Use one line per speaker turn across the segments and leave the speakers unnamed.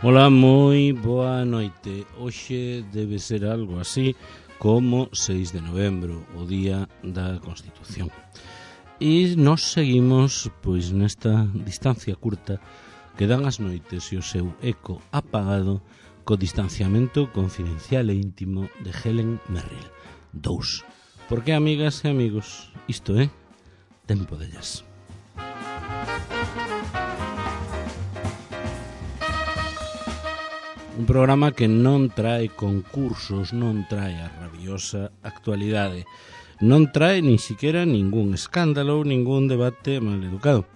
Ola, moi boa noite. Hoxe debe ser algo así como 6 de novembro, o día da Constitución. E nos seguimos pois nesta distancia curta que dan as noites e o seu eco apagado co distanciamento confidencial e íntimo de Helen Merrill 2. Porque, amigas e amigos, isto é Tempo de Jazz. Un programa que non trae concursos, non trae a rabiosa actualidade, non trae nin siquiera ningún escándalo, ningún debate mal educado.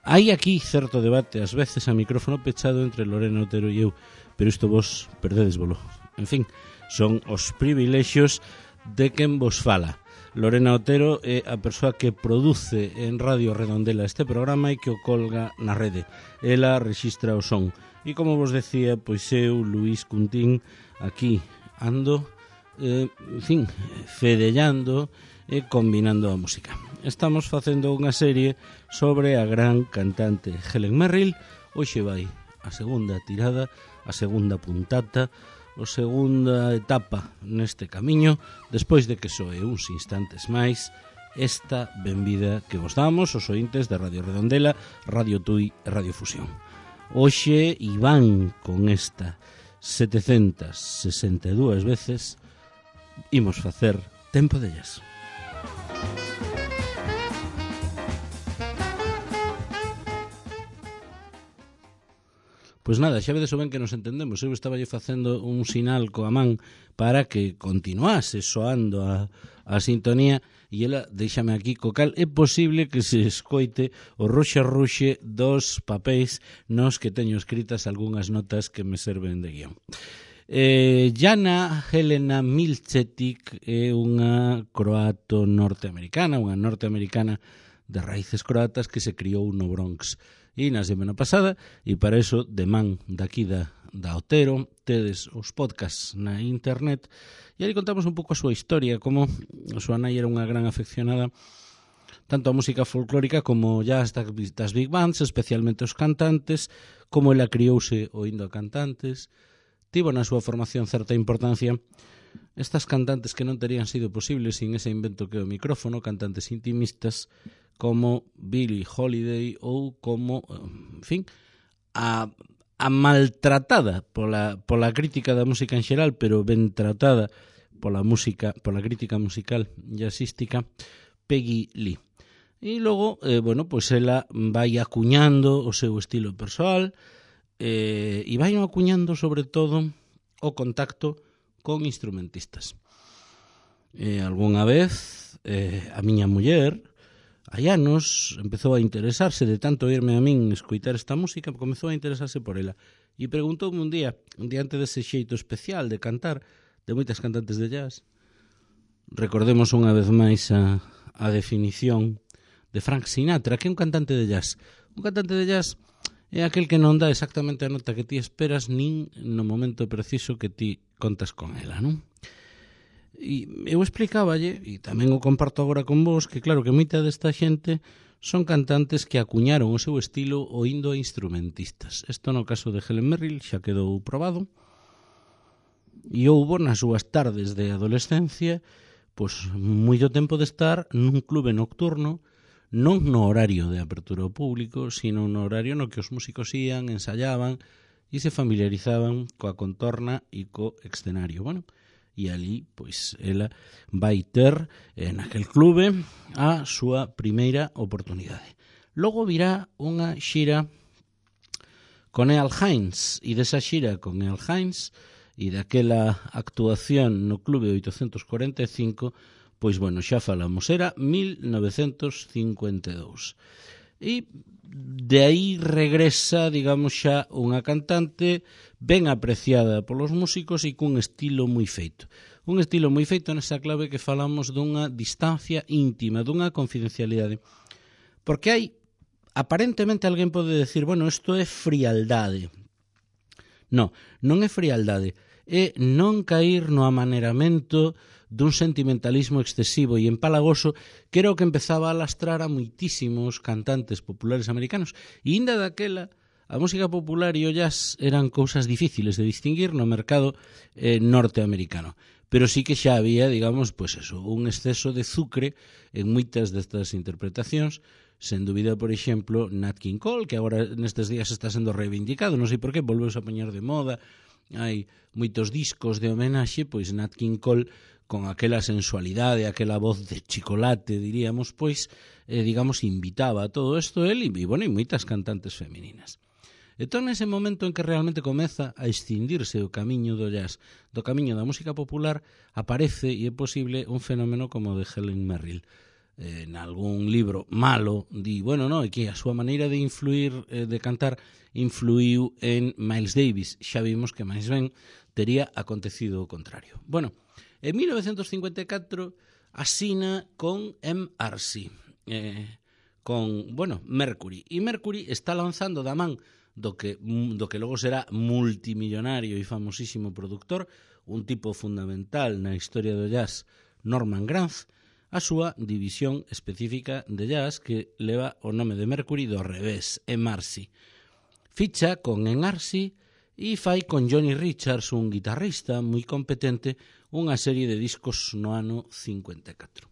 Hai aquí certo debate, ás veces a micrófono pechado entre Lorena Otero e eu, pero isto vos perdedesvolo. En fin, son os privilexios de quen vos fala. Lorena Otero é a persoa que produce en Radio Redondela este programa e que o colga na rede. Ela rexistra o son. E como vos decía, pois eu, Luís Cuntín, aquí ando, fedellando e combinando a música. Estamos facendo unha serie sobre a gran cantante Helen Merrill. Hoxe vai a segunda tirada, a segunda puntata, a segunda etapa neste camiño, despois de que soe uns instantes máis esta benvida que vos damos os ointes de Radio Redondela, Radio Tui e Radio Fusión. Hoxe Iván con esta 762 veces imos facer Tempo de Jazz. Pois nada, xa vedes o ben que nos entendemos. Eu estaba facendo un sinal coa man para que continuase soando a sintonía e ela deixame aquí co cal é posible que se escoite o ruxe dos papéis nos que teño escritas algunhas notas que me serven de guión. Jana Helena Milcetic é unha croato norteamericana, unha norteamericana de raíces croatas que se criou no Bronx. E na semana pasada, e para eso, de man daqui da Otero, tedes os podcasts na internet, e ali contamos un pouco a súa historia, como a súa nai era unha gran afeccionada tanto a música folclórica como jazz das big bands, especialmente os cantantes, como ela criouse oindo a cantantes, tivo na súa formación certa importancia estas cantantes que non terían sido posibles sin ese invento que é o micrófono, cantantes intimistas, como Billie Holiday ou como, en fin, a maltratada pola crítica da música en xeral, pero ben tratada pola crítica musical jazzística, Peggy Lee. E logo, pois ela vai acuñando o seu estilo persoal e vai acuñando sobre todo o contacto con instrumentistas. Algúnha vez a miña muller, hai anos, empezou a interesarse de tanto irme a min escoitar esta música, comezou a interesarse por ela e preguntoume un día, diante dese xeito especial de cantar de moitas cantantes de jazz. Recordemos unha vez máis a definición de Frank Sinatra, que é un cantante de jazz. Un cantante de jazz é aquel que non dá exactamente a nota que ti esperas nin no momento preciso que ti contas con ela, non? E eu explicáballe, e tamén o comparto agora con vos, que claro que moita desta xente son cantantes que acuñaron o seu estilo oindo a instrumentistas. Isto no caso de Helen Merrill xa quedou probado, e houbo nas súas tardes de adolescencia pois moito tempo de estar nun clube nocturno, non no horario de apertura ao público, sino no horario no que os músicos ían, ensayaban e se familiarizaban coa contorna e co escenario. Bueno, e ali, pois, ela vai ter naquel clube a súa primeira oportunidade. Logo virá unha xira con Earl Hines, e desa xira con Earl Hines e daquela actuación no Clube 845, pois, xa falamos, era 1952. E de aí regresa, digamos, xa unha cantante ben apreciada polos músicos e cun estilo moi feito. Un estilo moi feito nesa clave que falamos dunha distancia íntima, dunha confidencialidade. Porque hai, aparentemente, alguén pode decir, isto é frialdade. Non é frialdade, é non cair no amaneramento dun sentimentalismo excesivo e empalagoso que era o que empezaba a lastrar a moitísimos cantantes populares americanos. E inda daquela A música popular e o jazz eran cousas difíciles de distinguir no mercado norteamericano, pero sí que xa había, digamos, pues eso, un exceso de zucre en moitas destas interpretacións, sen dúbida, por exemplo, Nat King Cole, que agora nestes días está sendo reivindicado, non sei por qué, volveuse a poñer de moda, hai moitos discos de homenaxe, pois Nat King Cole, con aquela sensualidade, aquela voz de chocolate, diríamos, pois, digamos, invitaba a todo isto el e, bueno, e moitas cantantes femininas. Entón, nese momento en que realmente comeza a escindirse o camiño do jazz, do camiño da música popular, aparece, e é posible, un fenómeno como o de Helen Merrill. En algún libro malo, di, bueno, no, é que a súa maneira de influir, de cantar, influiu en Miles Davis. Xa vimos que máis ben tería acontecido o contrario. Bueno, en 1954 asina con MRC, con, bueno, Mercury. E Mercury está lanzando da man do que logo será multimillonario e famosísimo productor, un tipo fundamental na historia do jazz, Norman Granz, a súa división específica de jazz que leva o nome de Mercury do revés, MRC. Ficha con MRC e fai con Johnny Richards, un guitarrista moi competente, unha serie de discos no ano 54.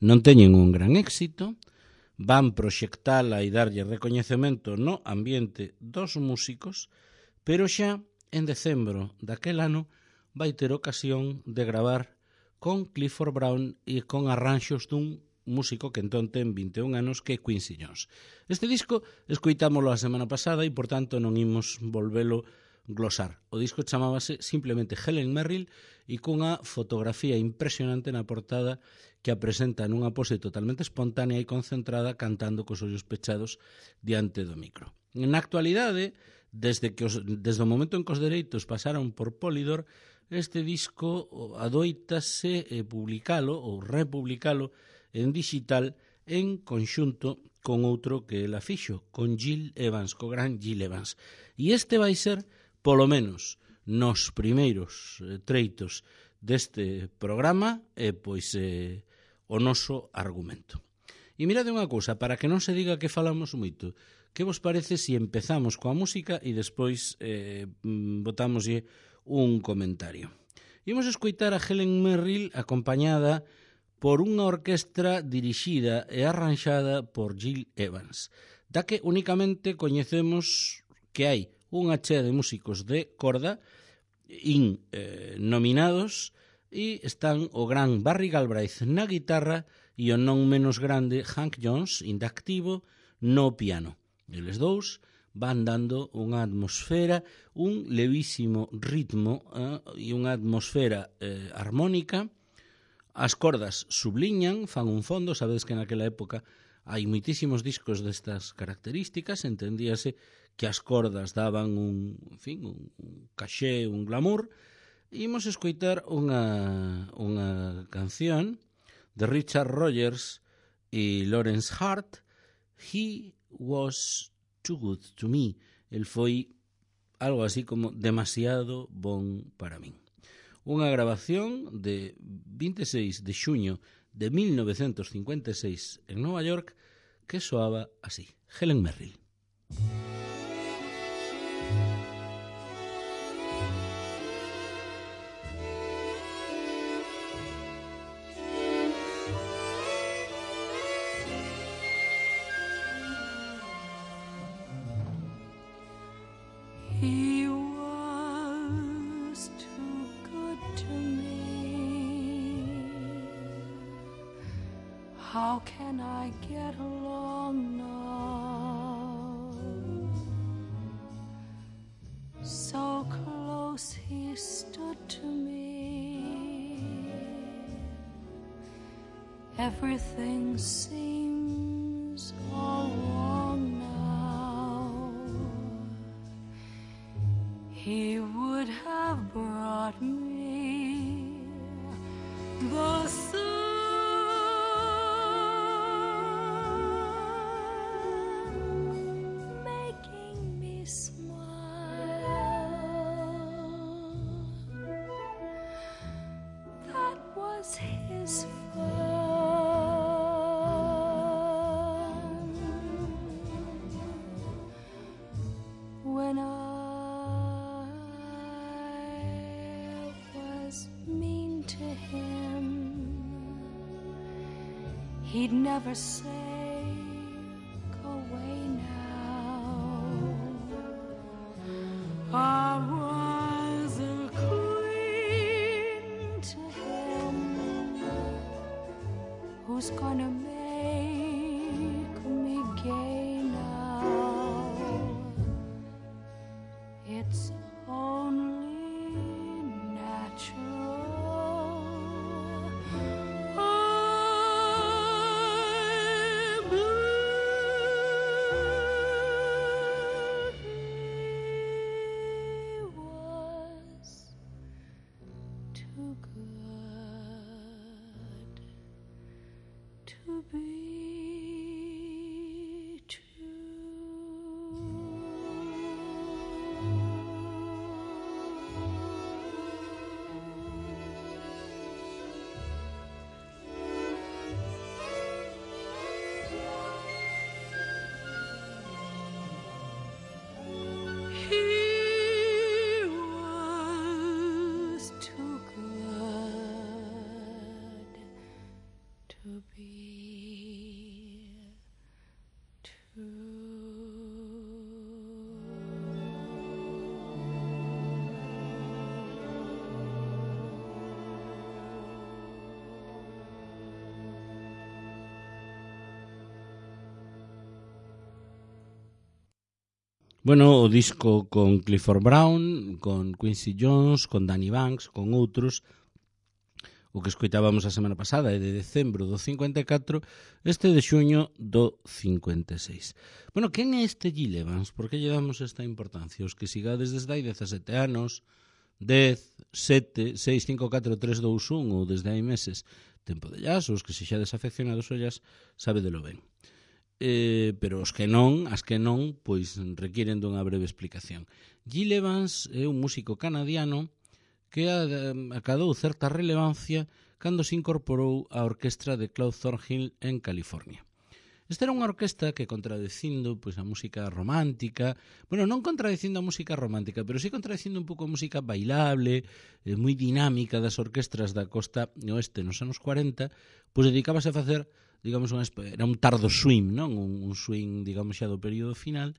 Non teñen un gran éxito, van proxectala e darlle recoñecemento no ambiente dos músicos, pero xa en decembro daquel ano vai ter ocasión de gravar con Clifford Brown e con arranxos dun músico que entón ten 21 anos, que é Quincy Jones. Este disco escoitámolo a semana pasada e, por tanto, non imos volvelo glosar. O disco chamábase simplemente Helen Merrill e cunha fotografía impresionante na portada que a presenta nunha pose totalmente espontánea e concentrada cantando cos ollos pechados diante do micro. Na actualidade, desde o momento en que os dereitos pasaron por Polydor, este disco adoítase publicalo ou republicalo en digital en conxunto con outro que ela fixo, con Gil Evans, co gran Gil Evans. E este vai ser, polo menos nos primeiros treitos deste programa, pois o noso argumento. E mirade unha cousa, para que non se diga que falamos moito, que vos parece se empezamos coa música e despois botámoslle un comentario? Imos escoitar a Helen Merrill acompañada por unha orquestra dirixida e arranxada por Gil Evans, da que únicamente coñecemos que hai unha chea de músicos de corda nominados e están o gran Barry Galbraith na guitarra e o non menos grande Hank Jones, indactivo, no piano. Eles dous van dando unha atmosfera, un levísimo ritmo e unha atmosfera armónica. As cordas subliñan, fan un fondo, sabedes que naquela época hai moitísimos discos destas características, entendíase que as cordas daban un caché, un glamour. Imos escoitar unha canción de Richard Rogers e Lawrence Hart, He Was Too Good to Me. El foi algo así como demasiado bon para min. Unha grabación de 26 de xuño de 1956 en Nova York que soaba así. Helen Merrill.
He was too good to me. How can I get along now? So close he stood to me. Everything seems all wrong now. He would have brought me the sun, making me smile. That was his fun. he'd never say, go away now. I was a queen to him, who's gonna make me gay now? It's only natural. I'm blue. He was too good to be He was too good to be true.
Bueno, o disco con Clifford Brown, con Quincy Jones, con Danny Banks, con outros. O que escoitábamos a semana pasada é de decembro do 54, este de xuño do 56. Bueno, quen é este Gil Evans? Por que lle damos esta importancia? Os que sigades desde hai 17 anos, 10, 7, 6, 5, 4, 3, 2, 1 ou desde hai meses, tempo de jazz, os que se xa desafeccionados ao jazz, sabedelo ben. Pero os que non, as que non, pois requiren dunha breve explicación. Gil Evans é un músico canadiano que acadou certa relevancia cando se incorporou á orquestra de Claude Thornhill en California. Esta era unha orquesta que, contradicindo pois, a música romántica, bueno, non contradicindo a música romántica, pero sí contradicindo un pouco a música bailable, moi dinámica das orquestras da costa oeste nos anos 40, pois dedicábase a facer, digamos, era un tardo swing, non? Un swing, digamos, xa do período final,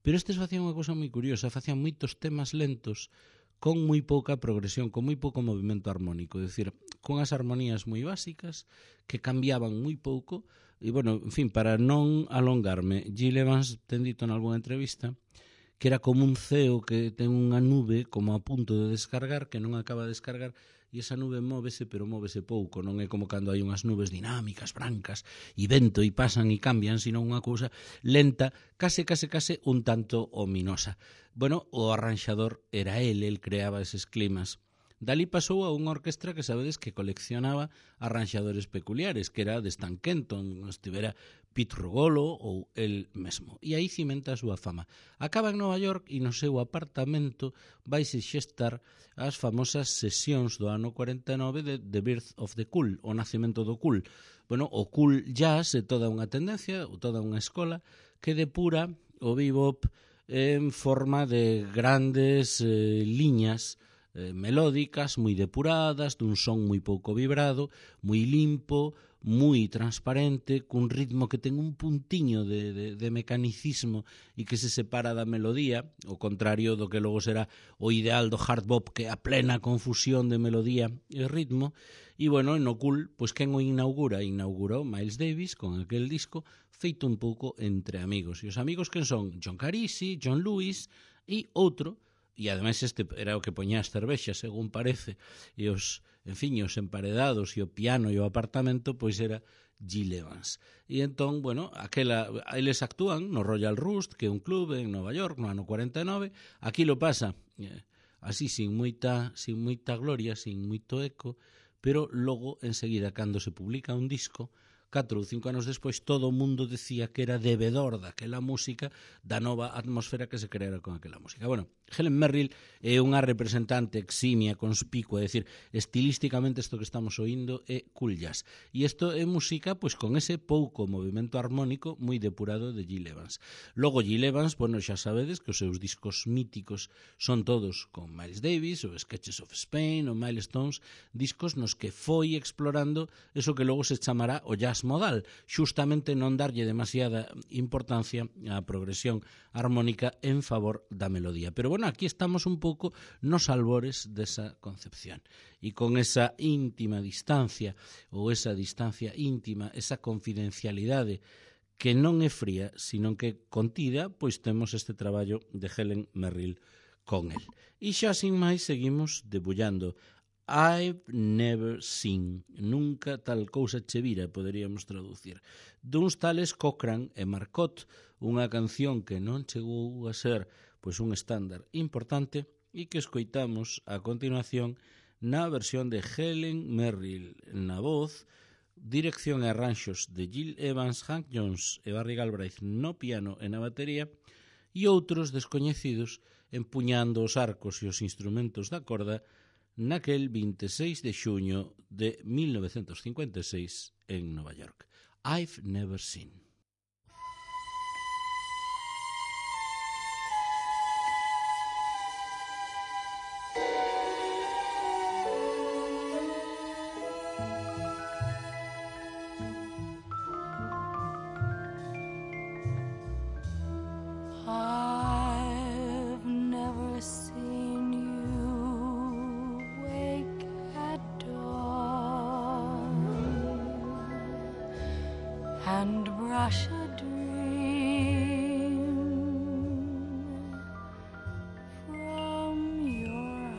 pero estes facían unha cousa moi curiosa, facían moitos temas lentos con moi pouca progresión, con moi pouco movimento armónico, é dicir, con as armonías moi básicas que cambiaban moi pouco. E, bueno, en fin, para non alongarme, Gil Evans ten dito en algunha entrevista que era como un ceo que ten unha nube como a punto de descargar, que non acaba de descargar, e esa nube móvese, pero móvese pouco, non é como cando hai unhas nubes dinámicas, brancas, e vento, e pasan e cambian, sino unha cousa lenta, case un tanto ominosa. Bueno, o arranxador era el creaba eses climas. Dalí pasou a unha orquestra que sabedes que coleccionaba arranxadores peculiares, que era de Stan Kenton, estivera Pete Rugolo ou el mesmo. E aí cimenta a súa fama. Acaba en Nova York e no seu apartamento vaise xestar as famosas sesións do ano 49 de The Birth of the Cool, o nacimento do cool. Bueno, o cool jazz é toda unha tendencia, toda unha escola que depura o bebop en forma de grandes liñas melódicas, moi depuradas, dun son moi pouco vibrado, moi limpo, moi transparente, cun ritmo que ten un puntiño de mecanicismo e que se separa da melodía, o contrario do que logo será o ideal do hard bop, que é a plena confusión de melodía e ritmo. E, bueno, no cool, pois quen o inaugura? Inaugurou Miles Davis con aquel disco feito un pouco entre amigos. E os amigos quen son? John Carisi, John Lewis e outro. E ademais este era o que poñía as cervexas, según parece, e os, en fin, os emparedados e o piano e o apartamento, pois era Gil Evans. E entón, bueno, eles actúan no Royal Roost, que é un club en Nova York, no ano 49, aquí lo pasa así, sin moita gloria, sin moito eco, pero logo, enseguida, cando se publica un disco, 4 ou 5 anos despois, todo o mundo decía que era debedor daquela música, da nova atmosfera que se creara con aquela música. Bueno, Helen Merrill é unha representante eximia, conspicua, é dicir, estilísticamente isto que estamos oindo é cool jazz. E isto é música pois con ese pouco movimento armónico moi depurado de Gil Evans. Logo Gil Evans, bueno, xa sabedes que os seus discos míticos son todos con Miles Davis, o Sketches of Spain, o Milestones, discos nos que foi explorando eso que logo se chamará o jazz transmodal, xustamente non darlle demasiada importancia á progresión armónica en favor da melodía. Pero bueno, aquí estamos un pouco nos albores desa concepción. E con esa íntima distancia, ou esa distancia íntima, esa confidencialidade que non é fría, sino que contida, pois temos este traballo de Helen Merrill con el. E xa sin máis seguimos debullando. I've never seen, nunca tal cousa che vira, poderíamos traducir, duns tales Cochrane e Marcotte, unha canción que non chegou a ser pois un estándar importante e que escoitamos a continuación na versión de Helen Merrill na voz, dirección e arranxos de Gil Evans, Hank Jones e Barry Galbraith no piano e na batería, e outros descoñecidos empuñando os arcos e os instrumentos da corda naquel 26 de xuño de 1956 en Nova York. I've never seen.
I've never seen you wake at dawn and brush a dream from your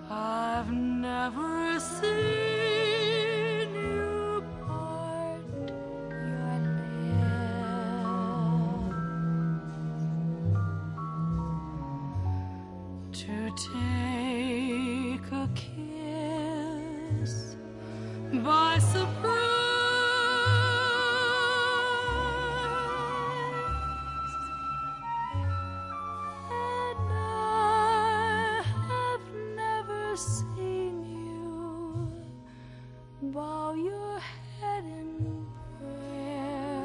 eye. I've never seen you part your lips to take a kiss by surprise. And I have never seen you bow your head in prayer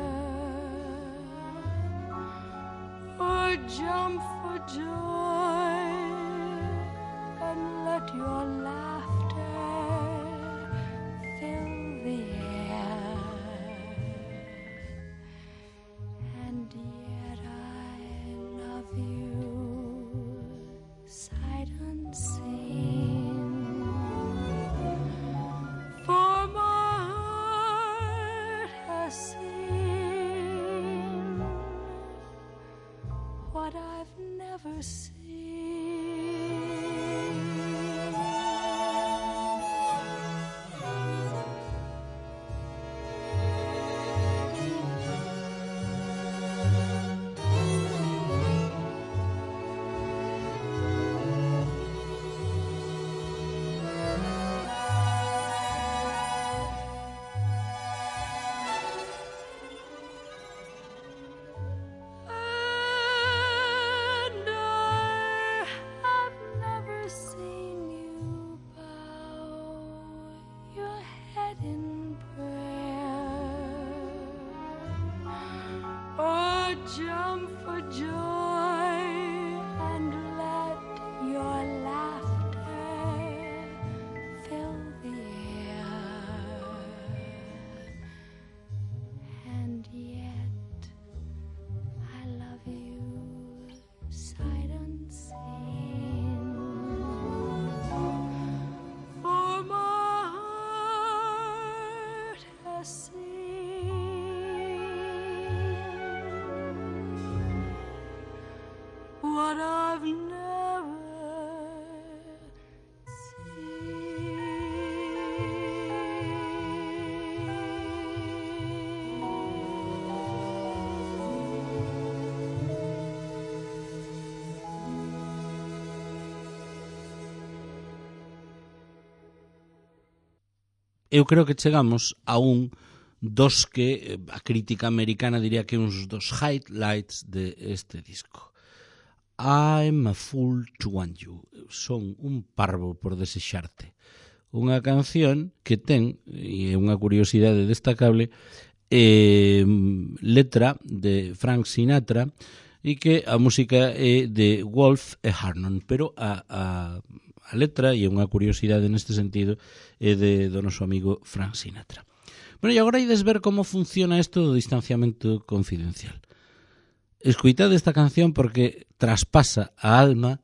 or jump for joy and let your laughter fill the air. And yet I love you sight unseen. For my heart has seen what I've never seen. And I have never seen you bow your head in prayer or jump for joy and let your laughter fill the air. And yet I love you sight unseen. For my heart has seen what I've never
Eu creo que chegamos a un dos que a crítica americana diría que uns dos highlights de este disco. I'm a fool to want you. Son un parvo por desexarte. Unha canción que ten, e é unha curiosidade destacable, letra de Frank Sinatra e que a música é de Wolf e Harnon, pero a a letra e unha curiosidade neste sentido é do noso amigo Frank Sinatra. Bueno, e agora ides ver como funciona isto do distanciamento confidencial. Escoitade esta canción porque traspasa a alma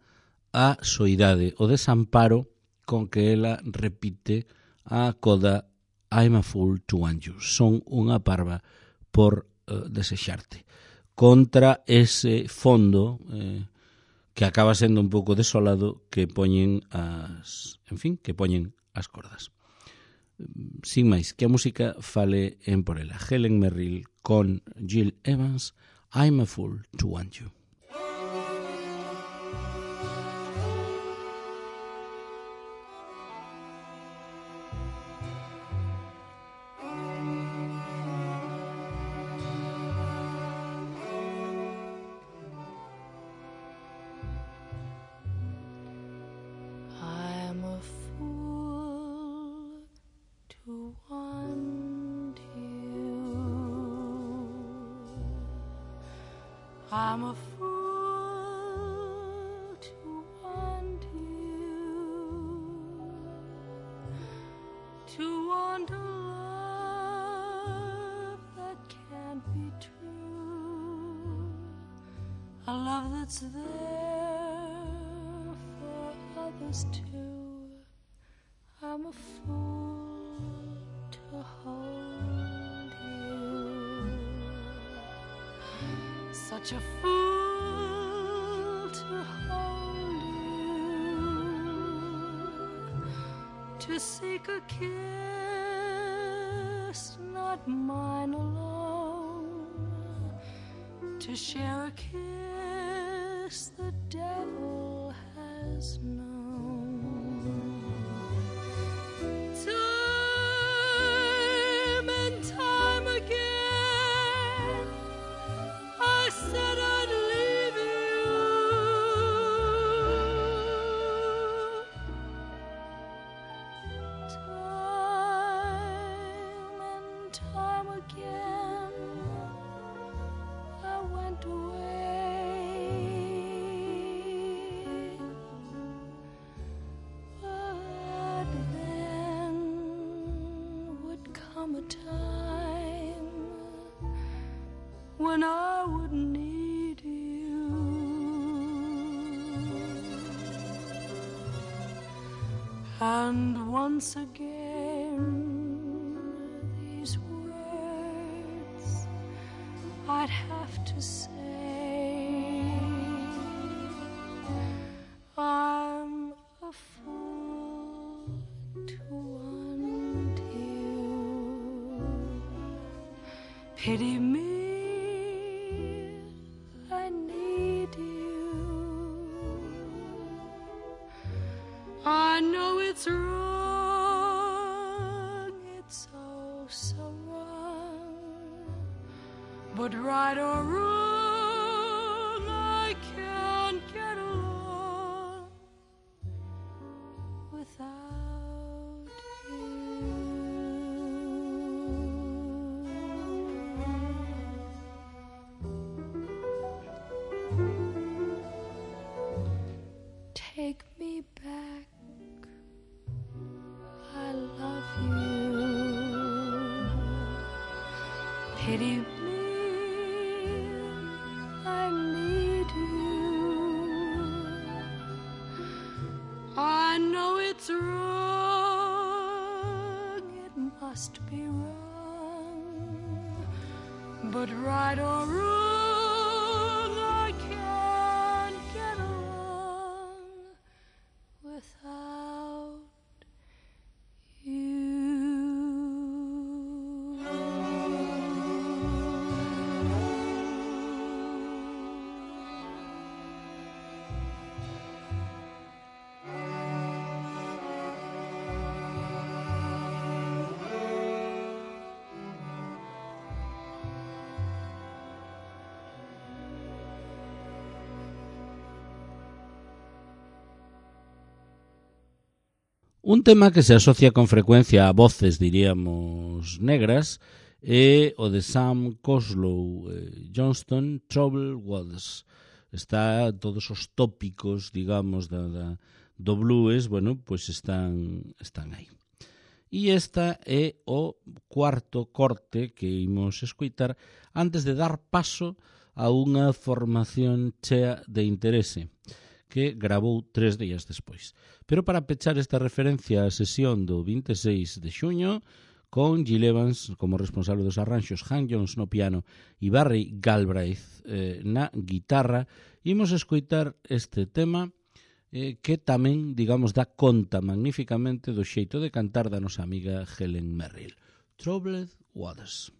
a soidade, o desamparo con que ela repite a coda I'm a fool to want you. Son unha parva por desexarte. Contra ese fondo que acaba sendo un pouco desolado que poñen as cordas. Sin máis, que a música fale en por ela. Helen Merrill con Jill Evans, I'm a fool to want you.
I'm a fool to want you. I'm a fool to want you, to want a love that can't be true, a love that's there for others too. I'm a fool to hold you, such a fool to hold you, to seek a kiss, not mine alone, to share a kiss the devil has known. Time and time again I said I'd leave you, time and time again I went away, but then would come a time when I would need you, and once again these words I'd have to say, I'm a fool to want you. Pity me, I need you. I know it's wrong, it's oh so wrong, but right or wrong, I can't get along without you. Take me back, I love you. Pity me, I need you. I know it's wrong, it must be wrong, but right or wrong, I can't get along without you.
Un tema que se asocia con frecuencia a voces, diríamos, negras, é o de Sam Coslow Johnston, Troubled Waters. Está todos os tópicos, digamos, do blues, bueno, pois están aí. E esta é o cuarto corte que imos escoitar antes de dar paso a unha formación chea de interese que gravou 3 días despois. Pero para pechar esta referencia á sesión do 26 de xuño, con Gil Evans como responsable dos arranxos, Han Jones no piano e Barry Galbraith na guitarra, imos escoitar este tema que tamén, digamos, dá conta magníficamente do xeito de cantar da nosa amiga Helen Merrill. Troubled Waters.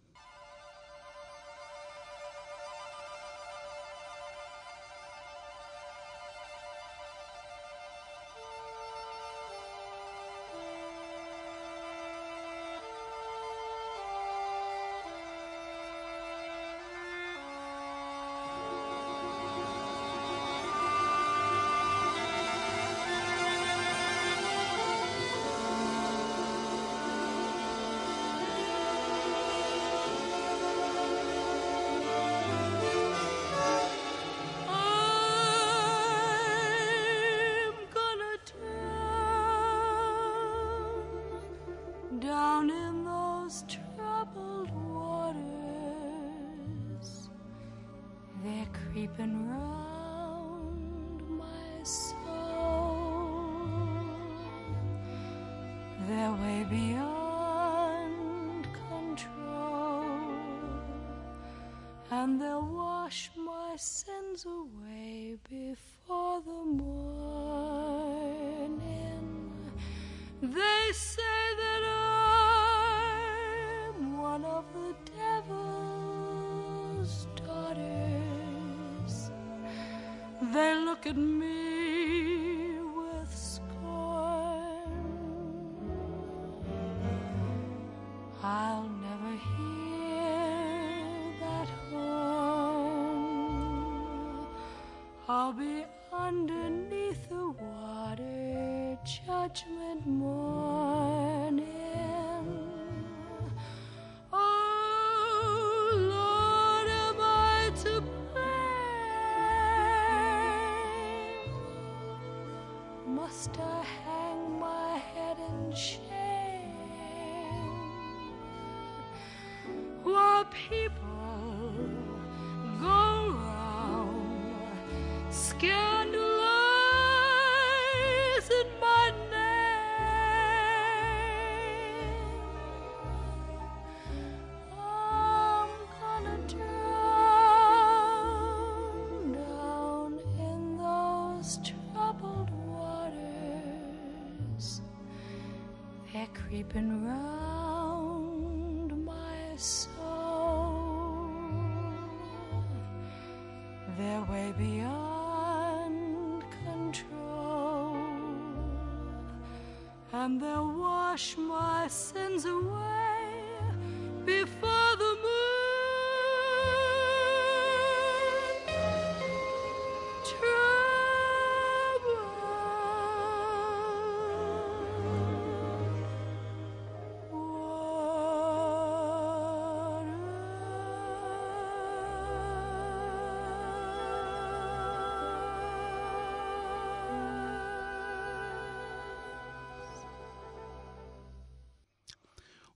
Down in those troubled waters, they're creeping round my soul. They're way beyond control, and they'll wash my sins away before the morning. They say that I'm one of the devil's daughters. They look at me with scorn. I'll never hear that horn. I'll be underneath the water, judgment morning. Oh Lord, am I to blame? Must I hang my head in shame while people go round scandalizing my name? I'm gonna drown down in those troubled waters. They're creeping round my soul. They're way beyond control, and they'll wash my sins away before the moon.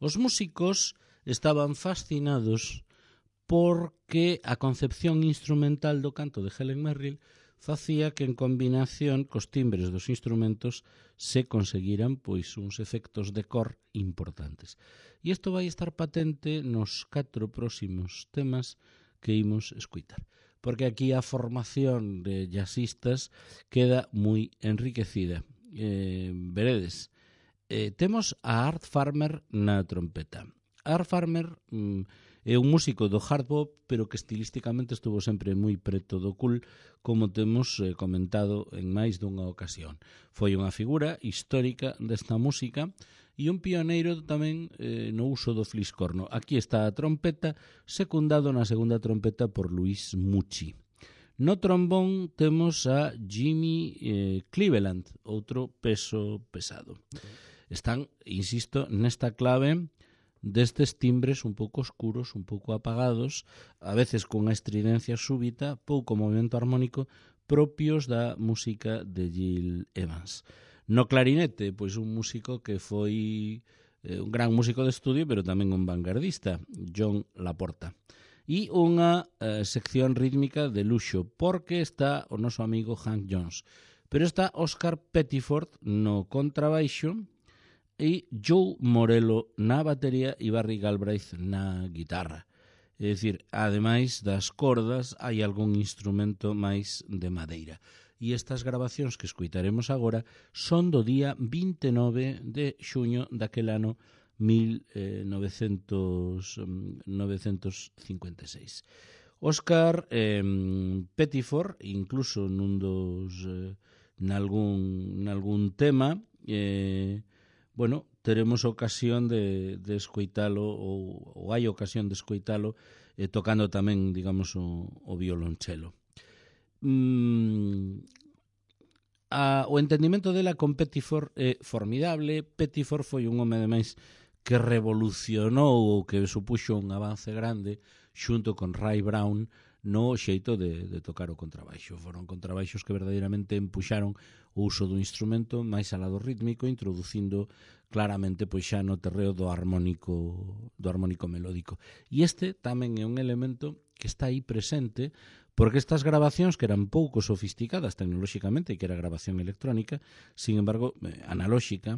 Os músicos estaban fascinados porque a concepción instrumental do canto de Helen Merrill facía que en combinación cos timbres dos instrumentos se conseguiran pois uns efectos de cor importantes. E isto vai estar patente nos 4 próximos temas que imos escutar, porque aquí a formación de jazzistas queda moi enriquecida. Veredes, temos a Art Farmer na trompeta. Art Farmer é un músico do hard bop, pero que estilísticamente estuvo sempre moi preto do cool, como temos comentado en máis dunha ocasión. Foi unha figura histórica desta música e un pioneiro tamén no uso do fliscorno. Aquí está a trompeta, secundado na segunda trompeta por Luis Mucci. No trombón temos a Jimmy Cleveland, outro peso pesado. Están, insisto, nesta clave destes timbres un pouco oscuros, un pouco apagados, a veces con a estridencia súbita, pouco movimento armónico, propios da música de Gil Evans. No clarinete, pois un músico que foi un gran músico de estudio, pero tamén un vanguardista, John Laporta. E unha sección rítmica de luxo, porque está o noso amigo Hank Jones. Pero está Oscar Pettiford no contrabaixo e Joe Morello na batería e Barry Galbraith na guitarra. É dicir, ademais das cordas, hai algún instrumento máis de madeira. E estas grabacións que escuitaremos agora son do día 29 de xuño daquel ano 1956. Oscar Pettiford, incluso nalgún tema, teremos ocasión de escoitalo ou hai ocasión de escoitalo tocando tamén, digamos, o violonchelo. O entendimento dela con Pettiford é formidable. Pettiford foi un home ademais que revolucionou ou que supuxo un avance grande xunto con Ray Brown no xeito de tocar o contrabaixo. Foron contrabaixos que verdadeiramente empuxaron o uso do instrumento máis al lado rítmico, introducindo claramente pois xa no terreo do armónico melódico. E este tamén é un elemento que está aí presente, porque estas grabacións que eran pouco sofisticadas tecnolóxicamente, que era grabación electrónica, sin embargo, analóxica,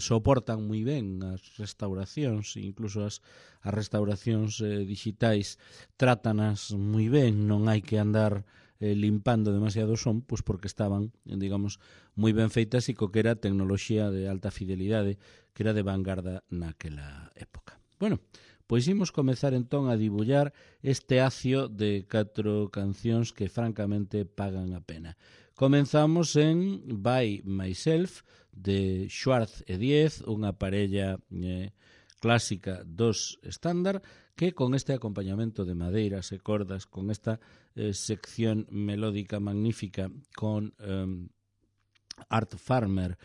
soportan moi ben as restauracións, incluso as restauracións digitais trátanas moi ben, non hai que andar limpando demasiado son, pois porque estaban, digamos, moi ben feitas e co que era tecnoloxía de alta fidelidade, que era de vanguarda naquela época. Bueno, pois imos comezar entón a dibullar este acio de 4 cancións que francamente pagan a pena. Comenzamos en By Myself, de Schwartz e Diez, unha parella clásica dos estándar, que con este acompañamento de madeiras e cordas, con esta sección melódica magnífica, con Art Farmer,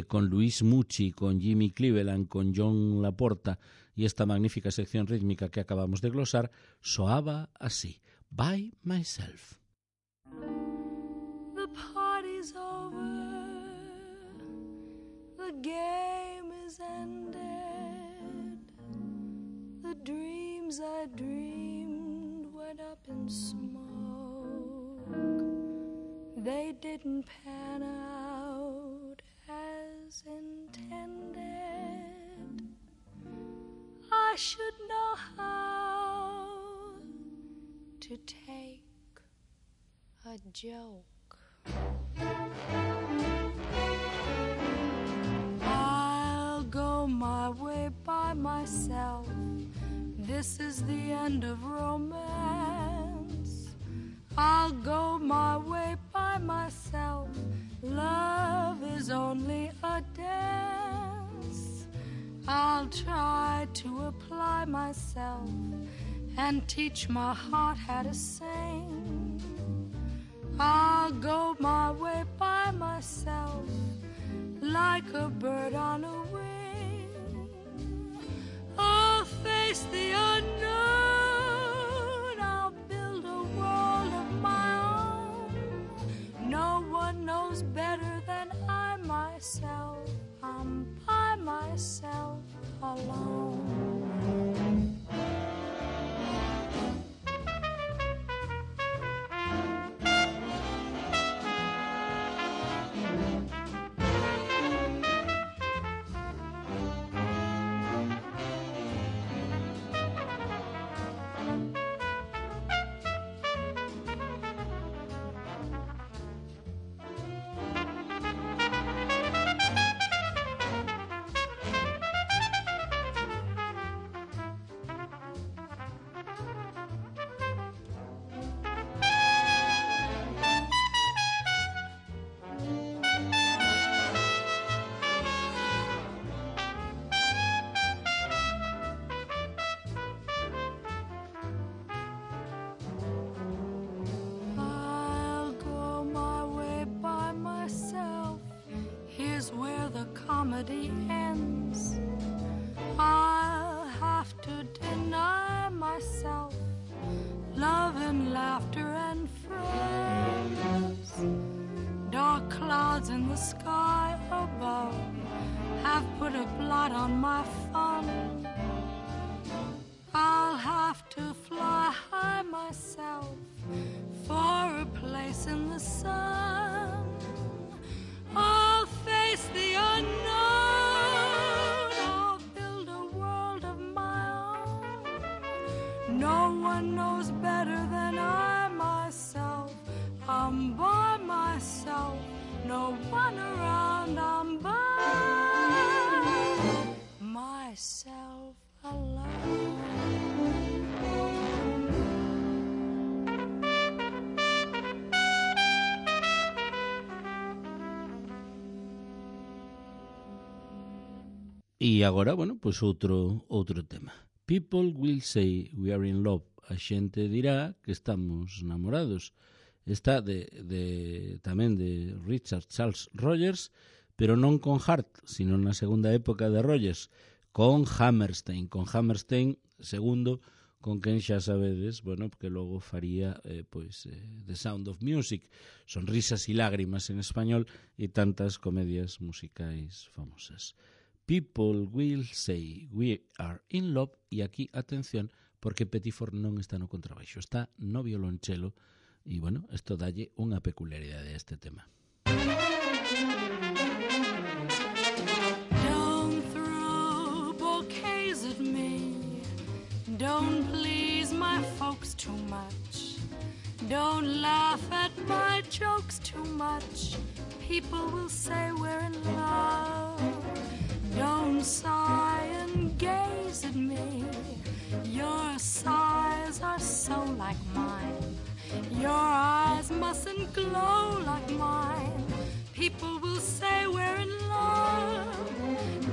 con Luis Mucci, con Jimmy Cleveland, con John Laporta e esta magnífica sección rítmica que acabamos de glosar, soaba así: By Myself.
The party's over, the game is ended, the dreams I dreamed went up in smoke, they didn't pan out as intended. I should know how to take a joke. I'll go my way by myself. This is the end of romance. I'll go my way by myself. Love is only a dance. I'll try to apply myself and teach my heart how to sing. I'll go my way by myself like a bird on a wing. I'll face the unknown. I'll build a world of my own. No one knows better than I myself. I'm by myself alone. Comedy ends. I'll have to deny myself love and laughter and friends. have put a blot on my fun. I'll have to fly high myself for a place in the sun. I'll face the unknown. I'll build a world of my own. No one knows better than I myself. I'm by myself, no one around. I'm by myself alone.
E agora, bueno, pois outro tema. People will say we are in love. A xente dirá que estamos namorados. Está tamén de Richard Charles Rogers, pero non con Hart, sino na segunda época de Rogers, con Hammerstein. Con Hammerstein, segundo, con quen xa sabedes, bueno, porque logo faría The Sound of Music, Sonrisas y lágrimas en español, e tantas comedias musicais famosas. People will say we are in love, e aquí, atención, porque Pettiford non está no contrabaixo, está no violonchelo, e, bueno, isto dalle unha peculiaridade a este tema.
Don't throw bouquets at me. Don't please my folks too much. Don't laugh at my jokes too much. People will say we're in love. Don't sigh and gaze at me. Your sighs are so like mine. Your eyes mustn't glow like mine. People will say we're in love.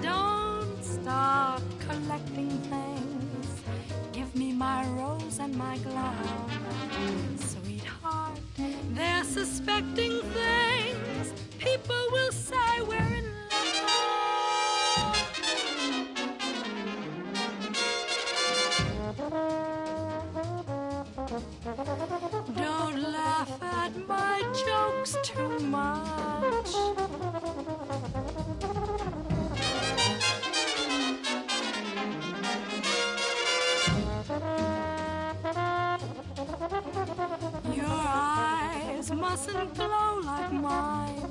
Don't start collecting things. Give me my rose and my glove. Sweetheart, they're suspecting things. People will say we're in love. Don't laugh at my jokes too much. Your eyes mustn't glow like mine.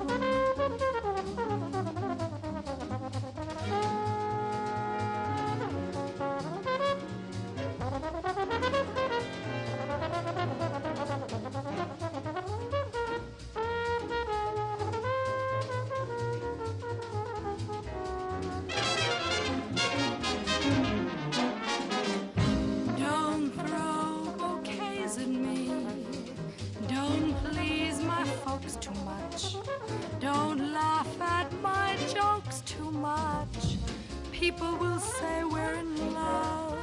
Don't throw bouquets at me. Don't please my folks too much. Don't laugh at my jokes too much. People will say we're in love.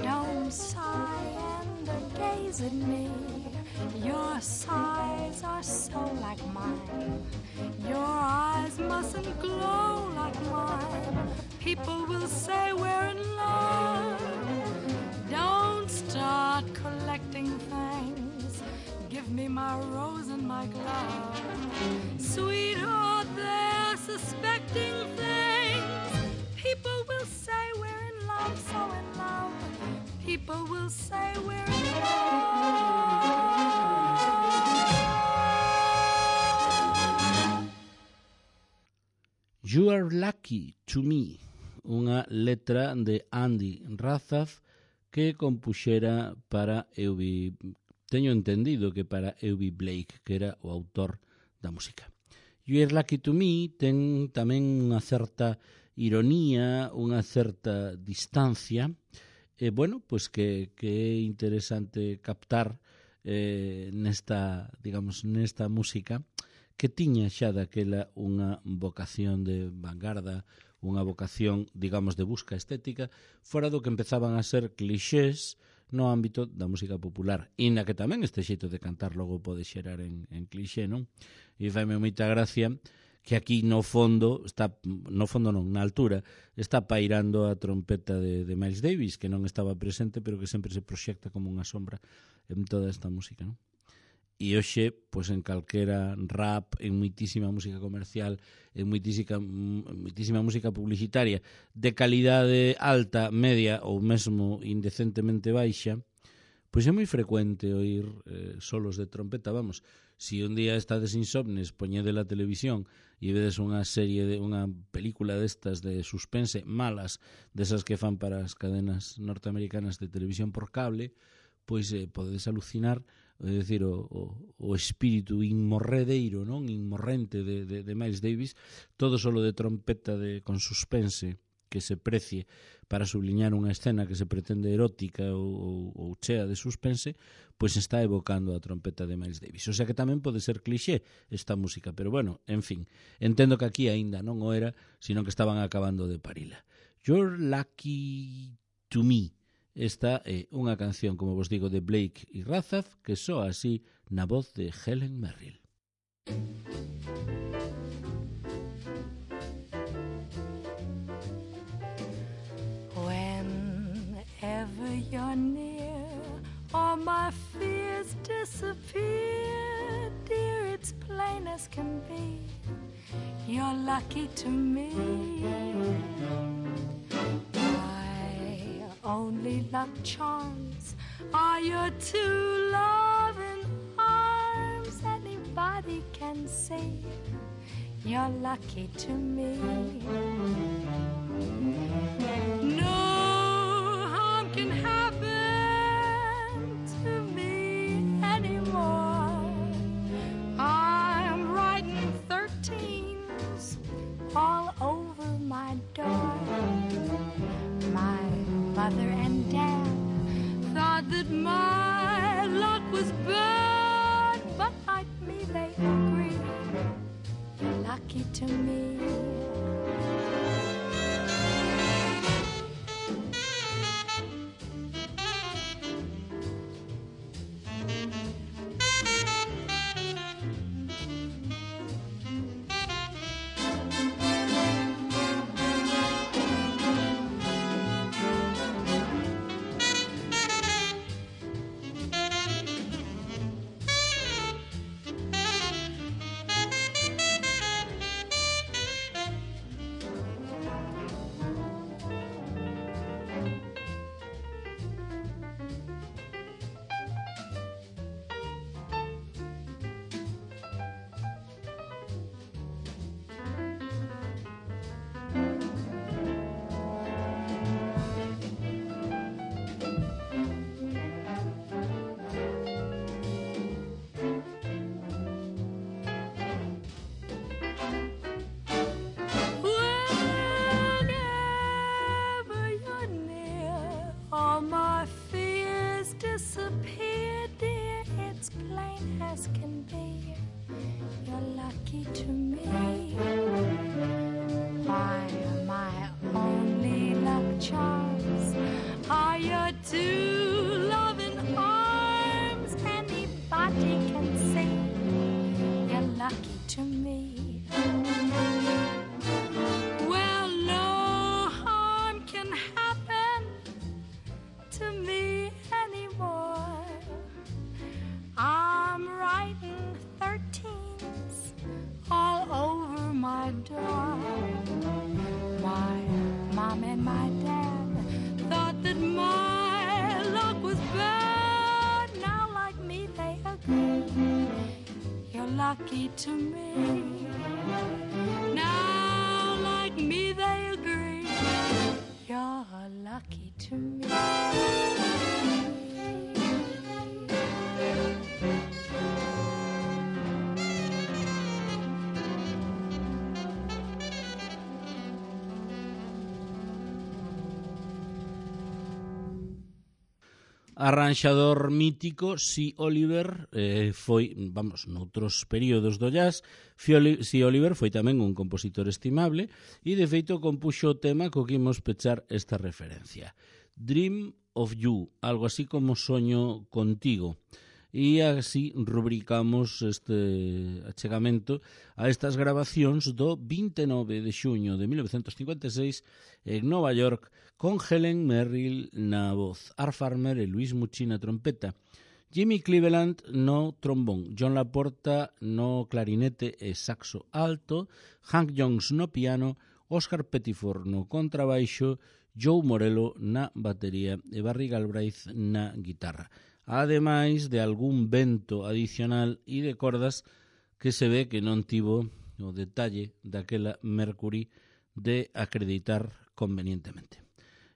Don't sigh and gaze at me. Your sighs are so like mine. Your eyes mustn't glow like mine. People will say we're in love. Don't start collecting things. Give me my rose and my glove. Sweetheart, they're suspecting things. People will say we're in love, so in love. People will say we're in love.
You are lucky to me, unha letra de Andy Razaf que compuxera para Eubie, teño entendido que para Eubie Blake, que era o autor da música. You are lucky to me ten tamén unha certa ironía, unha certa distancia, bueno, pois que é interesante captar nesta música, que tiña xa daquela unha vocación de vanguarda, unha vocación, digamos, de busca estética, fora do que empezaban a ser clixés no ámbito da música popular, e na que tamén este xeito de cantar logo pode xerar en clixé, non? E faime moita gracia que aquí na altura, está pairando a trompeta de Miles Davis, que non estaba presente, pero que sempre se proxecta como unha sombra en toda esta música, non? e hoxe, pois en calquera rap, en moitísima música comercial, en moitísima música publicitaria de calidade alta, media ou mesmo indecentemente baixa, pois é moi frecuente oír solos de trompeta. Vamos, si un día estades insomnes, poñede la televisión e vedes unha película destas de suspense malas, desas que fan para as cadenas norteamericanas de televisión por cable, pois podedes alucinar, é dicir, o espírito inmorredeiro, non, inmorrente de Miles Davis, todo solo de trompeta con suspense que se precie para subliñar unha escena que se pretende erótica ou chea de suspense, pois está evocando a trompeta de Miles Davis. O sea que tamén pode ser clixé esta música, pero bueno, en fin, entendo que aquí aínda non o era, sino que estaban acabando de parila. You're Lucky to Me. Esta é unha canción, como vos digo, de Blake e Razaf, que soa así na voz de Helen Merrill.
Whenever you're near, all my fears disappear. Dear, it's plain as can be, you're lucky to me. Only luck charms are your two loving arms. Anybody can say you're lucky to me. No harm can happen to me anymore. I'm writing 13s all over my door. My mother and dad thought that my luck was bad, but like me they agree, you're lucky to me. Lucky to me. Now, like me, they agree. You're lucky to me.
Arranxador mítico, Si Oliver, foi, vamos, noutros períodos do jazz, Si Oliver foi tamén un compositor estimable e, de feito, compuxo o tema co que imos pechar esta referencia. Dream of You, algo así como Soño contigo. E así rubricamos este achegamento a estas grabacións do 29 de xuño de 1956 en Nova York con Helen Merrill na voz, Art Farmer e Luis Mucci na trompeta, Jimmy Cleveland no trombón, John Laporta no clarinete e saxo alto, Hank Jones no piano, Oscar Pettiford no contrabaixo, Joe Morello na batería e Barry Galbraith na guitarra. Ademais de algún vento adicional e de cordas que se ve que non tivo o detalle daquela Mercury de acreditar convenientemente.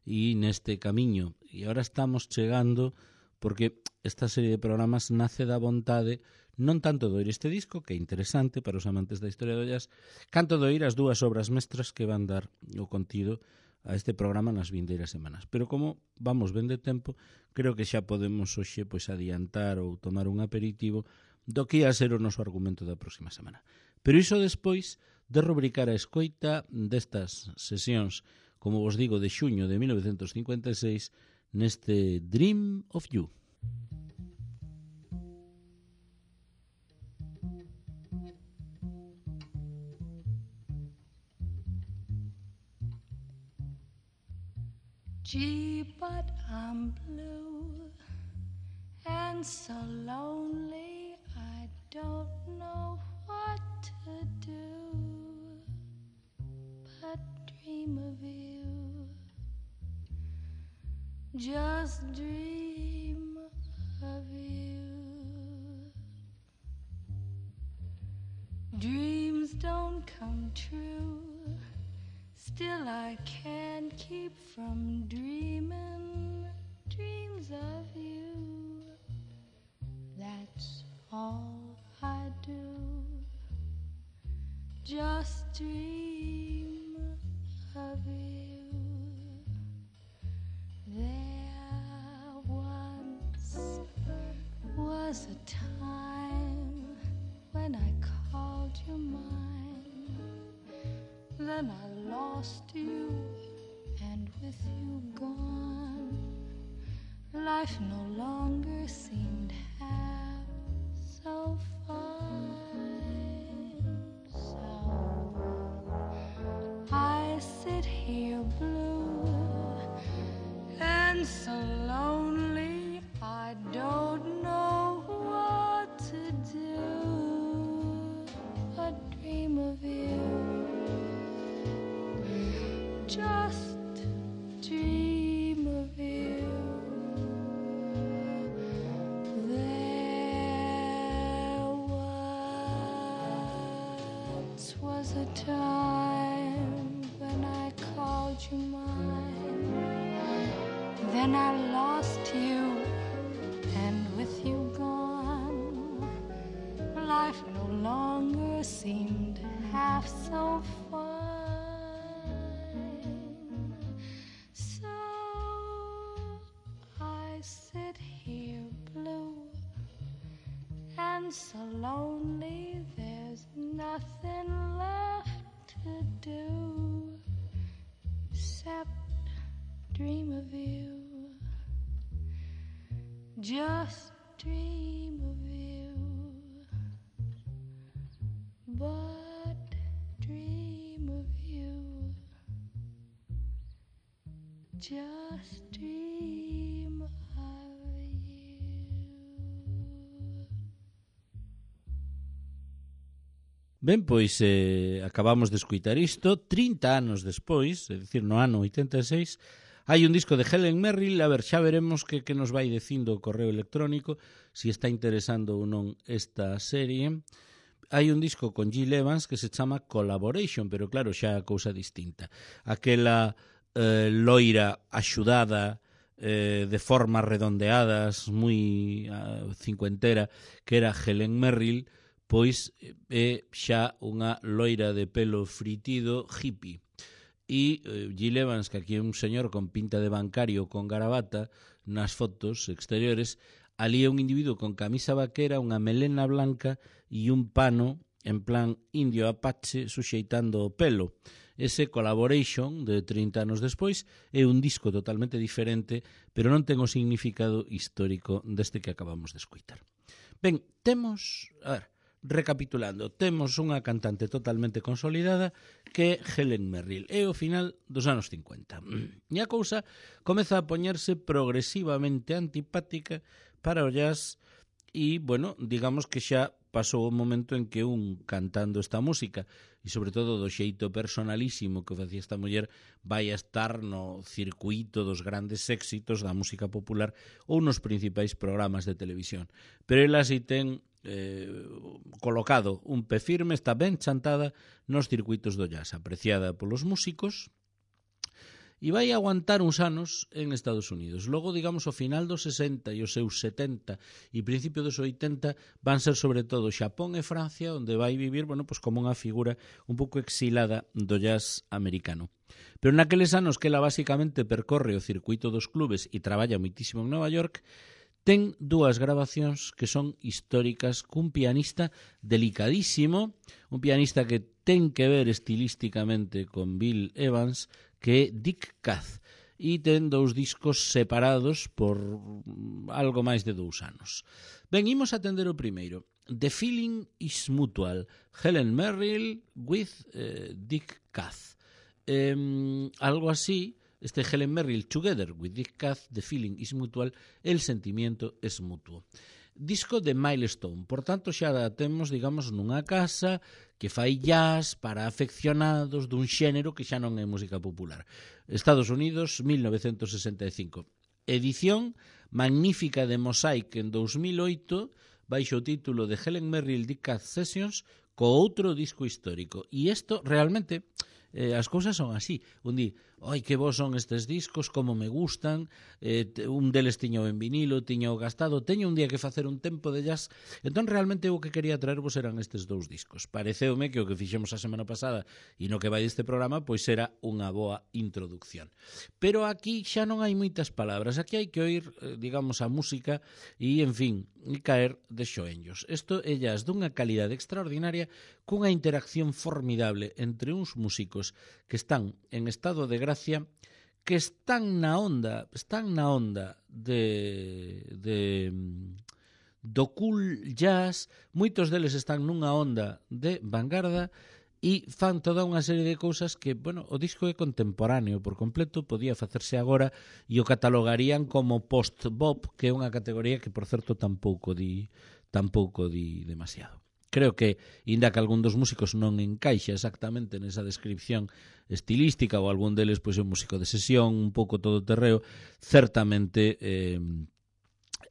E neste camiño, e ahora estamos chegando, porque esta serie de programas nace da vontade non tanto de oír este disco, que é interesante para os amantes da historia do jazz, canto de oír as dúas obras mestras que van dar o contido a este programa nas vindeiras semanas. Pero como vamos ben de tempo, creo que xa podemos hoxe pois adiantar ou tomar un aperitivo do que ia ser o noso argumento da próxima semana. Pero iso despois de rubricar a escoita destas sesións, como vos digo, de xuño de 1956, neste Dream of You.
Gee, but I'm blue and so lonely, I don't know what to do but dream of you. Just dream of you. Dreams don't come true, still I can't keep from dreaming dreams of you. That's all I do. Just dream of you. There once was a time when I called you mine. Then I lost you, and with you gone, life no longer seemed half so fine. So I sit here blue and so lonely, I don't know what to do but dream of you. Just dream of you. There once was a time when I called you mine. Then I lost you, and with you gone, life no longer seemed half so fine. So lonely, there's nothing left to do except dream of you. Just dream of you. But dream of you. Just dream of you.
Ben, pois acabamos de escuitar isto 30 anos despois, é dicir, no ano 86, hai un disco de Helen Merrill. A ver, xa veremos que nos vai dicindo o correo electrónico, si está interesando ou non esta serie. Hai un disco con Gil Evans que se chama Collaboration, pero claro, xa a cousa distinta. Aquela loira axudada, de formas redondeadas, moi cincuentera, que era Helen Merrill, pois é xa unha loira de pelo fritido hippie. E Gil Evans, que aquí é un señor con pinta de bancario con garabata nas fotos exteriores, ali é un individuo con camisa vaquera, unha melena blanca e un pano en plan indio apache suxeitando o pelo. Ese Collaboration de 30 anos despois é un disco totalmente diferente, pero non ten o significado histórico deste que acabamos de escoitar. Ben, temos... A ver, recapitulando, temos unha cantante totalmente consolidada que é Helen Merrill. É o final dos anos 50. E a cousa comeza a poñerse progresivamente antipática para o jazz e, bueno, digamos que xa pasou o momento en que un cantando esta música e sobre todo do xeito personalísimo que facía esta muller vai a estar no circuito dos grandes éxitos da música popular ou nos principais programas de televisión. Pero ela si ten colocado un pé firme, está ben chantada nos circuitos do jazz, apreciada polos músicos, e vai aguantar uns anos en Estados Unidos. Logo, digamos, ao final dos 60 e os seus 70 e principio dos 80 van ser sobre todo Xapón e Francia, onde vai vivir, bueno, pues como unha figura un pouco exilada do jazz americano. Pero naqueles anos que ela basicamente percorre o circuito dos clubes e traballa moitísimo en Nova York, ten dúas grabacións que son históricas cun pianista delicadísimo, un pianista que ten que ver estilísticamente con Bill Evans, que é Dick Kath, e ten dous discos separados por algo máis de 2 anos. Ben, imos atender o primeiro. The Feeling is Mutual, Helen Merrill with Dick Kath. Algo así, este Helen Merrill Together with Dick Kath, The Feeling is Mutual, el sentimiento es mutuo. Disco de Milestone, por tanto xa temos, digamos, nunha casa que fai jazz para afeccionados dun xénero que xa non é música popular. Estados Unidos, 1965. Edición magnífica de Mosaic en 2008, baixo o título de Helen Merrill Dick Kath Sessions, co outro disco histórico. E isto realmente... as cousas son así. Un di, oi, que bons son estes discos, como me gustan, un deles tiño en vinilo, tiño gastado, teño un día que facer un tempo de jazz. Entón, realmente, o que quería traervos eran estes 2 discos. Pareceume que o que fixemos a semana pasada e no que vai deste programa, pois era unha boa introducción. Pero aquí xa non hai moitas palabras, aquí hai que oír, digamos, a música e, en fin, e caer de xoenllos. Isto é jazz dunha calidade extraordinaria, cunha interacción formidable entre uns músicos que están en estado de gracia, que están na onda do cool jazz, moitos deles están nunha onda de vanguarda e fan toda unha serie de cousas que, bueno, o disco é contemporáneo por completo, podía facerse agora e o catalogarían como post-bop, que é unha categoría que, por certo, tampouco di demasiado. Creo que, inda que algún dos músicos non encaixa exactamente nesa descripción estilística ou algún deles pois é un músico de sesión, un pouco todoterreo, certamente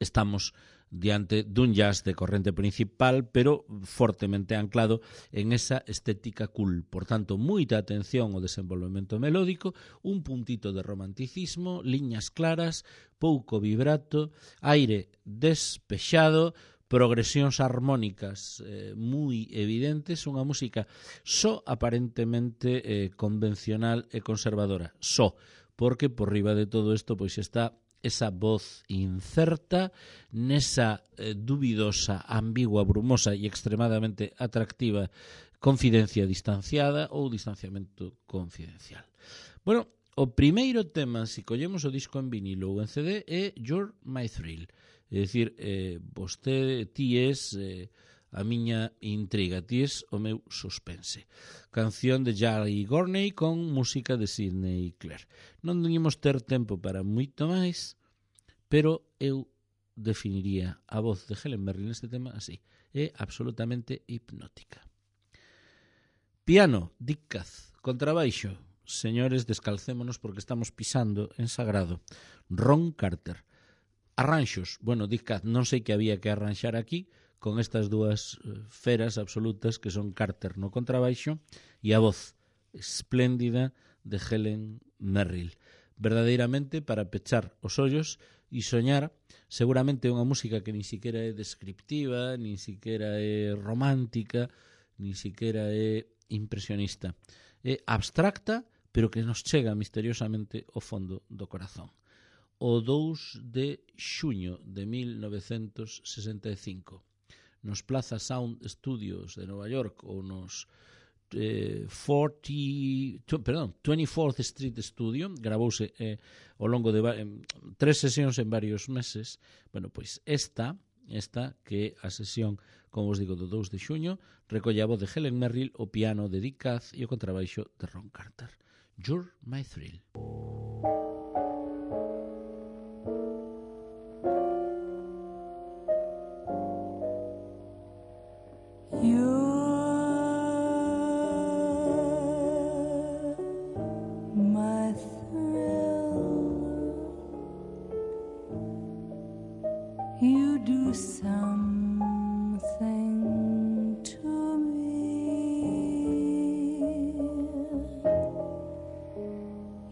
estamos diante dun jazz de corrente principal, pero fortemente anclado en esa estética cool. Por tanto, moita atención ao desenvolvemento melódico, un puntito de romanticismo, liñas claras, pouco vibrato, aire despexado, progresións armónicas moi evidentes, unha música só aparentemente convencional e conservadora, só, porque por riba de todo isto pois está esa voz incerta, nesa dubidosa, ambigua, brumosa e extremadamente atractiva confidencia distanciada ou distanciamento confidencial. Bueno, o primeiro tema, se collemos o disco en vinilo ou en CD, é You're My Thrill. É dicir, ti és a miña intriga, ti és o meu suspense. Canción de Jari Gorney con música de Sidney Clare. Non ímos ter tempo para moito máis, pero eu definiría a voz de Helen Merrill neste tema así. É absolutamente hipnótica. Piano, Dick Kath. Contrabaixo, señores, descalcémonos porque estamos pisando en sagrado. Ron Carter. Arranxos, bueno, Dick Kath, non sei que había que arranxar aquí con estas dúas feras absolutas que son Carter no contrabaixo e a voz espléndida de Helen Merrill. Verdadeiramente para pechar os ollos e soñar, seguramente unha música que nin siquiera é descriptiva, nin siquiera é romántica, nin siquiera é impresionista. É abstracta, pero que nos chega misteriosamente ao fondo do corazón. O 2 de xuño de 1965 nos Plaza Sound Studios de Nova York ou nos 24th Street Studio, gravouse ao longo de 3 sesións en varios meses. Bueno, pois esta que é a sesión, como vos digo, do 2 de xuño, recolle a voz de Helen Merrill, o piano de Dick Kath e o contrabaixo de Ron Carter. You're My Thrill.
you do something to me.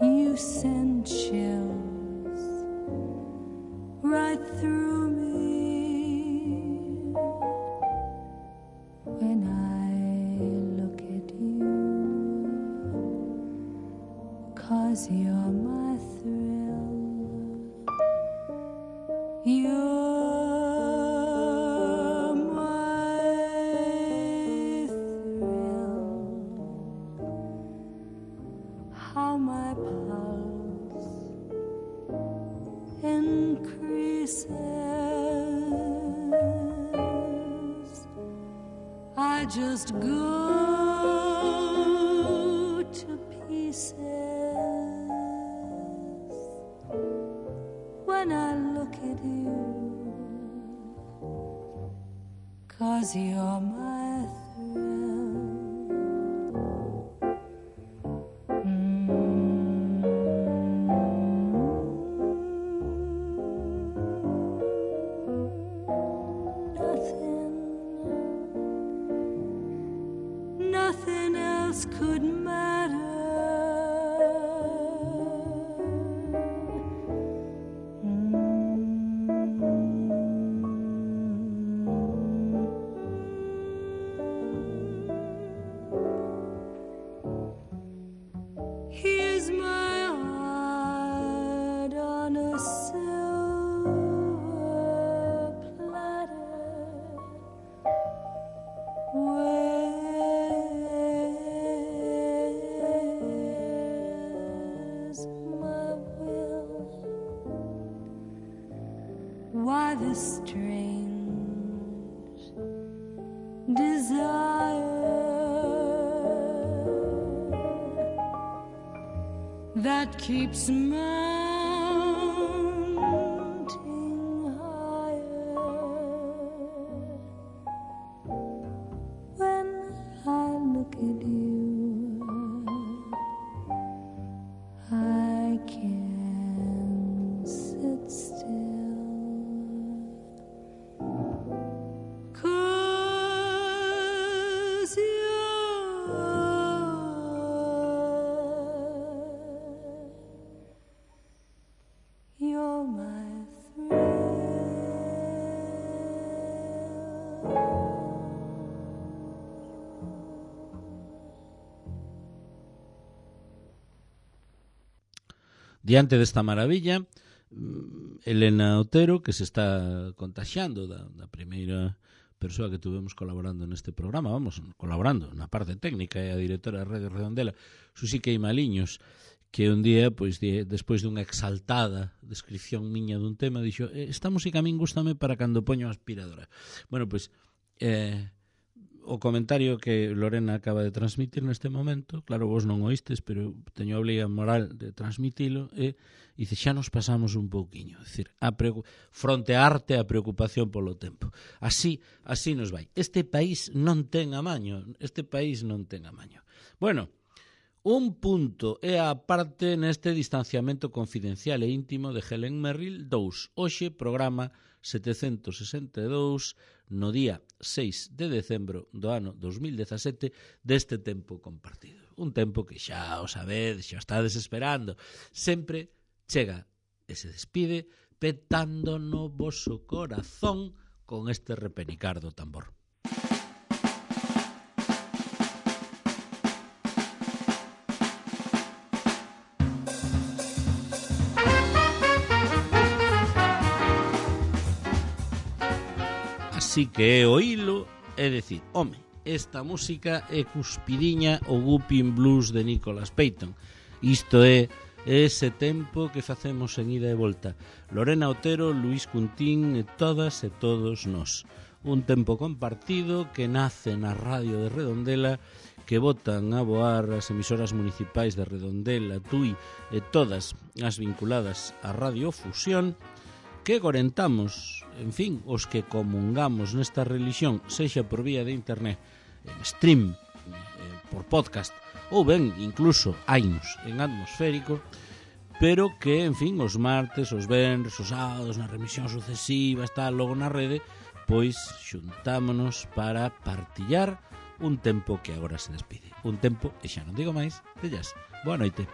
You send chills right through me when I look at you, 'cause you're my thrill. You're my thrill. How my pulse increases. I just go to pieces when I look at you, 'cause you're my thrill. Nothing else could matter. Here's my heart on a silver platter. Where's my will? Why this strange desire that keeps mounting higher? When I look at you, I can't sit still, 'cause you're my thrill.
Diante desta maravilla, Elena Otero, que se está contaxiando da primeira persoa que tuvemos colaborando neste programa, colaborando na parte técnica, é a directora da Radio Redondela, Susi Queimaliños, que un día, pois, despois dunha exaltada descripción miña dun tema, dixo, esta música a min gústame para cando poño a aspiradora. Bueno, pois, o comentario que Lorena acaba de transmitir neste momento, claro, vos non oístes, pero teño a obliga moral de transmitilo, e dice, xa nos pasamos un pouquiño, é dicir, fronte a arte a preocupación polo tempo. Así nos vai. Este país non ten amaño, Bueno, un punto é a parte neste distanciamento confidencial e íntimo de Helen Merrill 2. Hoxe, programa 762, no día 6 de decembro do ano 2017, deste tempo compartido. Un tempo que xa o sabedes, xa estades esperando. Sempre chega e se despide petando no voso corazón con este repenicar do tambor. Así que é oílo e decir, home, esta música é cuspidiña o Whooping Blues de Nicholas Payton. Isto é ese tempo que facemos en ida e volta. Lorena Otero, Luís Cuntín e todas e todos nós. Un tempo compartido que nace na radio de Redondela, que botan a voar as emisoras municipais de Redondela, Tui e todas as vinculadas á radiofusión, que gorentamos, en fin, os que comungamos nesta religión, sexa por vía de internet, en stream, por podcast, ou ben, incluso, hainos en atmosférico, pero que, en fin, os martes, os venres, os sábados, nas remisións sucesivas, tal, logo na rede, pois xuntámonos para partillar un tempo que agora se despide. Un tempo, e xa non digo máis, de jazz. Boa noite.